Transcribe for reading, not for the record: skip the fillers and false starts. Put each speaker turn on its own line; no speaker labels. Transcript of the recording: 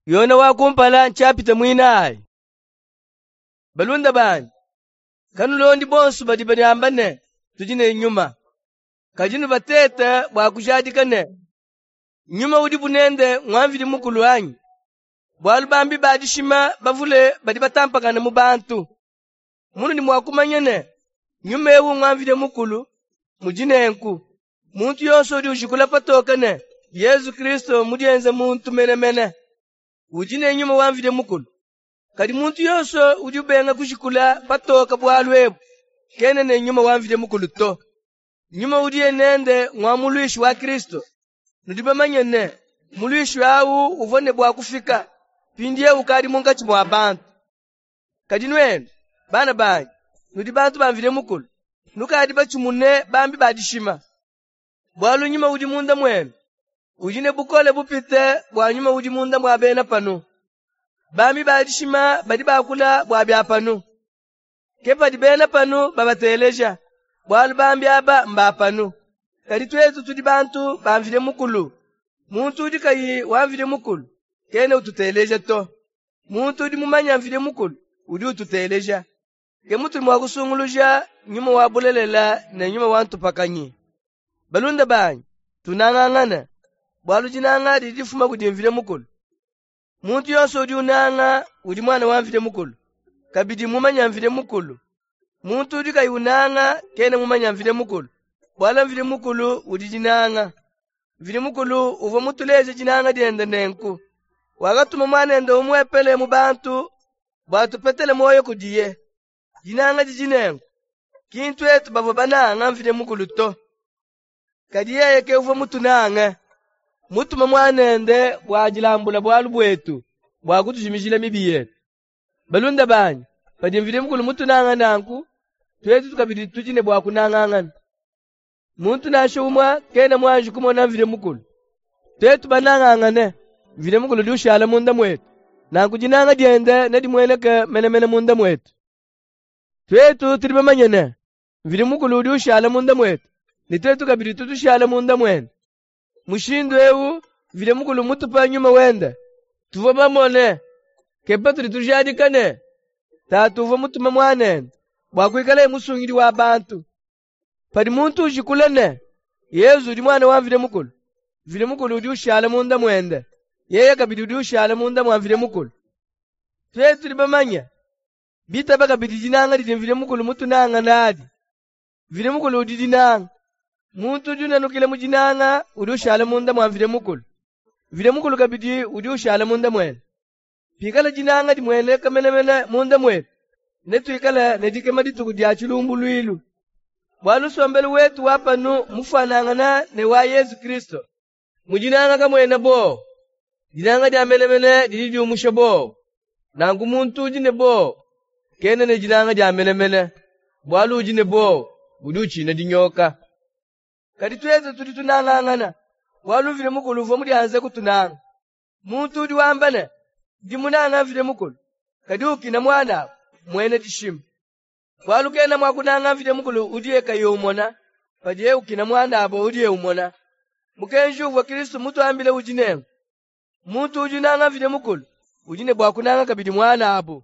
Yone wa kumpala nshapita muinayi. Balunda banyi, kanulondi bonso badi badiamba ne tudi ne nyuma, kadi nubatete bua kujadika ne nyuma udibu nende ngwa Mvidi Mukulu anyi? Bualu bambi ba dishima bavule badi batampakana mu bantu. Munudi mua kumanya ne nyuma ewu ngwa Mvidi Mukulu mudi nenku: muntu yonso udi ujikula patoke ne Yezu Kristo mudienze muntu menemene, udi ne nyuma wa Mvidi Mukulu. Kadi muntu yonso udi ubenga kujikula patoke bualu ebu, kena ne nyuma wa Mvidi Mukulu to. Nyuma udiye nende ngwa muluishi wa Kristo. Nudi bamanye ne muluishi awu uvua ne bua kufika, mpindieu ukadi munkatshi mua bantu. Kadi nuenu, bana banyi, nudi bantu ba Mvidi Mukulu, nukadi batshimune bambi ba dishima. Bualu nyuma udi munda muenu udi ne bukole bupite bua nyuma udi munda mua bena panu. Bambi ba dishima badi bakula bua bia panu, ke padi bena panu babateleja, bualu bambi aba mba panu. Kadi tuetu tudi bantu ba Mvidi Mukulu. Muntu udi kayi wa Mvidi Mukulu kena ututeleja to. Muntu udi mumanye Mvidi Mukulu udi ututeleja. Ke mutudi mua kusunguluja nyuma wa bulelela ne nyuma wa ntupakanyi. Balunda banyi, tunangangane, bualu dinanga didi difuma kudi Mvidi Mukulu. Muntu yonso udi unanga udi muana wa Mvidi Mukulu, kabidi mumanye Mvidi Mukulu. Muntu udi kayi unanga kena mumanye Mvidi Mukulu, bualu Mvidi Mukulu udi dinanga. Mvidi Mukulu uvua mutuleje dinanga diende nenku: wakatuma muanende umuepele mu bantu bua tupetele muoyo kudiye. Dinanga didi nenku, ki ntuetu bavua bananga Mvidi Mukulu to, kadi yeye ke uvua mutunange, mutuma muanende bua dilambula bualu buetu bua kutujimijila mibi yetu. Balunda banyi, padi Mvidi Mukulu mutunanga nanku, tuetu kabidi tudi ne bua kunangangana. Muntu nansha umue kena muanji kumona Mvidi Mukulu. Tuetu banangangane, Mvidi Mukulu udi ushala munda muetu, nanku dinanga diende nedimueneke menemene munda muetu. Tuetu tudi bamanye ne Mvidi Mukulu udi ushala munda muetu, ne tuetu kabidi tudi tushala munda muende. Mushindu ewu Mvidi Mukulu mutupa nyuma wende. Tuvua bamone, ke patudi tujadika ne Tatu uvua mutume muanende bua kuikalaye musungidi wa bantu. Padi muntu ujikula ne Yezu udi muana wa Mvidi Mukulu, Mvidi Mukulu udi ushala munda muende, yeye kabidi udi ushala munda mua Mvidi Mukulu. Tuetu tudi bamanye bitaba kabidi dinanga didi Mvidi Mukulu mutunanga nadi. Mvidi Mukulu udi dinanga. Muntu udi unanukila mu dinanga udi ushala munda mua Mvidi Mukulu. Mvidi Mukulu kabidi udi ushala munda muende. Pikala dinanga dimueneka menemene munda muetu, netuikale ne dikema dituku dia tshilumbuluilu. Bualu nsombelu wetu wa panu mufuanangana ne wa Yezu Kristo. Mu dinanga kamuena bowa. Dinanga dia menemene didi diumusha bowa. Nanku muntu udi ne bowa kena ne dinanga dia menemene, bualu udi ne bowa udi utshina dinyoka. Kadi tuetu tudi tunangangana, bualu Mvidi Mukulu uvua mudianze kutunanga. Muntu udi wamba ne, ndi munanga Mvidi Mukulu, kadi ukina muanabu, muena dishima. Bualu kena mua kunanga Mvidi Mukulu udiye kayi umona, padiye ukina muanabu udiye umona. Mukenji uvua Kristo mutuambile udi nenku: muntu udi unanga Mvidi Mukulu udi ne bua kunanga kabidi muanabu.